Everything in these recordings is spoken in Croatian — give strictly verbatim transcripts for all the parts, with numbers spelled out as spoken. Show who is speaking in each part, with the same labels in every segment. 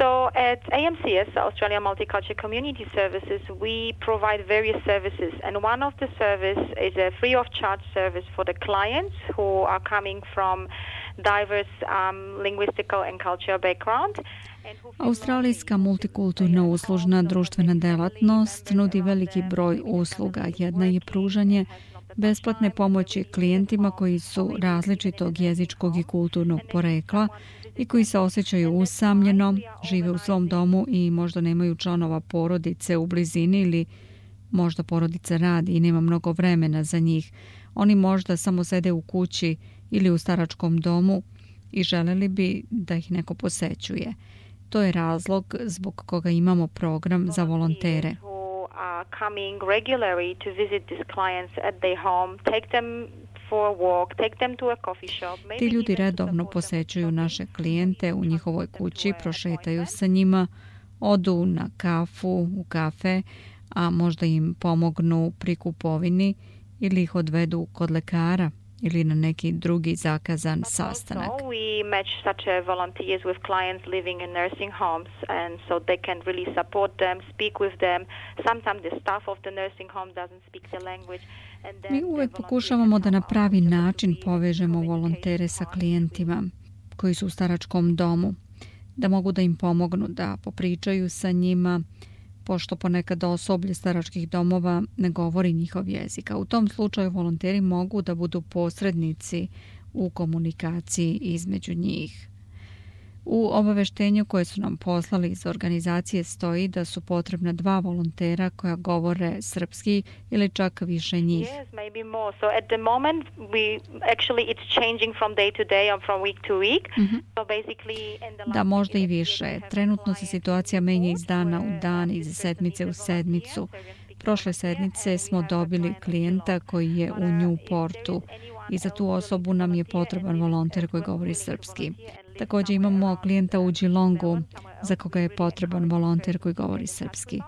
Speaker 1: So at A M C S, Australia Multicultural Community Services, we provide various services, and one of the service is a free of charge service for the clients who are coming from diverse um, linguistical and cultural background.
Speaker 2: Australijska multikulturna uslužna društvena delatnost nudi veliki broj usluga. Jedna je pružanje besplatne pomoći klijentima koji su različitog jezičkog i kulturnog porekla i koji se osjećaju usamljeno, žive u svom domu i možda nemaju članova porodice u blizini ili možda porodica radi i nema mnogo vremena za njih. Oni možda samo sede u kući ili u staračkom domu i želeli bi da ih neko posećuje. To je razlog zbog koga imamo program za volontere.
Speaker 1: Coming regularly to visit these clients at their home, take them for a walk, take them to a coffee shop.
Speaker 2: Ti ljudi redovno posećuju naše klijente u njihovoj kući, prošetaju sa njima, odu na kafu, u kafe, a možda im pomognu pri kupovini ili ih odvedu kod lekara ili na neki drugi zakazan sastanak.
Speaker 1: We match such volunteers with clients living in nursing homes, and so they can really support them, speak with them. Sometimes the staff of the nursing home doesn't speak the language.
Speaker 2: Mi uvek pokušavamo da na pravi način povežemo volontere sa klijentima koji su u staračkom domu, da mogu da im pomognu, da popričaju sa njima, pošto ponekad osoblje staračkih domova ne govori njihov jezik. A u tom slučaju volonteri mogu da budu posrednici u komunikaciji između njih. U obaveštenju koje su nam poslali iz organizacije stoji da su potrebna dva volontera koja govore srpski ili čak više njih.
Speaker 1: Yes, maybe more. So at the moment we actually it's changing from day to day or from week to week.
Speaker 2: Mm-hmm.
Speaker 1: So basically in the
Speaker 2: Da, možda i više. Trenutno se situacija menja iz dana u dan, iz sedmice u sedmicu. Prošle sedmice smo dobili klijenta koji je u Newportu i za tu osobu nam je potreban volonter koji govori srpski. Također imamo klijenta u Geelongu za koga je potreban volonter koji govori srpski.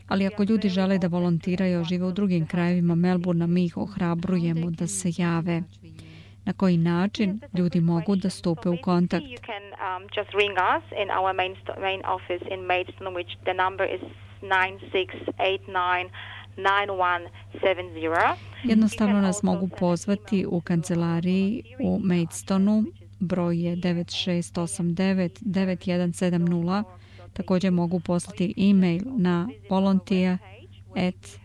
Speaker 2: Ali ako ljudi žele da volontiraju, žive u drugim krajevima Melbourna, mi ih ohrabrujemo da se jave. Na koji način ljudi mogu da stupe u kontakt?
Speaker 1: You can um, just ring us in our main, main office in Maidstone, which the number is nine six eight nine nine one seven zero.
Speaker 2: Jednostavno nas mogu pozvati u kancelariji u Maidstonu. Broj je devet šest osam devet devet jedan sedam nula. Također mogu poslati e-mail na volunteer at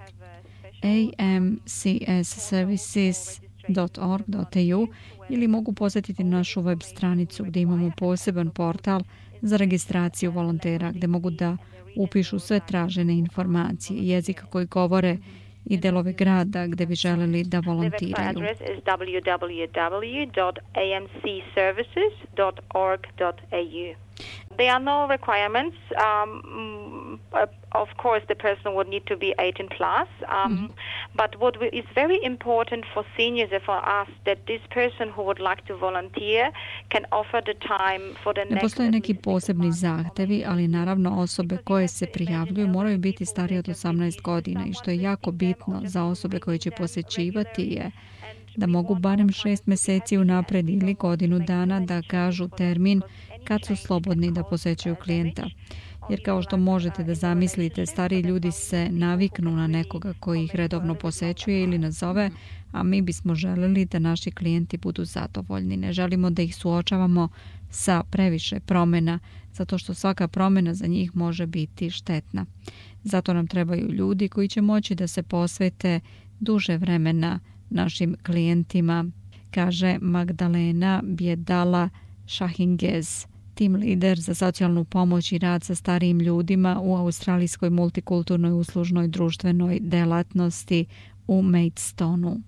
Speaker 2: a m c s services dot org dot a u ili mogu posjetiti našu web stranicu gdje imamo poseban portal za registraciju volontera gdje mogu da upišu sve tražene informacije, jezika koji govore i delove grada gdje bi želeli da volontiraju.
Speaker 1: Adres is w w w dot a m c services dot org dot a u. There are no requirements. Um, of course, the person would need to be eighteen plus. Um, mm-hmm. But what is very important for seniors and for us that this person who would like to volunteer can offer the time for the next.
Speaker 2: Ne postoje neki posebni zahtevi, ali naravno osobe koje se prijavljuju moraju biti starije od osamnaest godina i što je jako bitno za osobe koje će posećivati je da mogu barem šest mjeseci unapred ili godinu dana da kažu termin kad su slobodni da posećuju klijenta. Jer kao što možete da zamislite, stariji ljudi se naviknu na nekoga koji ih redovno posećuje ili nazove, a mi bismo želeli da naši klijenti budu zadovoljni. Ne želimo da ih suočavamo sa previše promjena, zato što svaka promjena za njih može biti štetna. Zato nam trebaju ljudi koji će moći da se posvete duže vremena našim klijentima, kaže Magdalena Bjedala Šahingez, tim lider za socijalnu pomoć i rad sa starijim ljudima u australijskoj multikulturnoj uslužnoj društvenoj delatnosti u Maidstonu.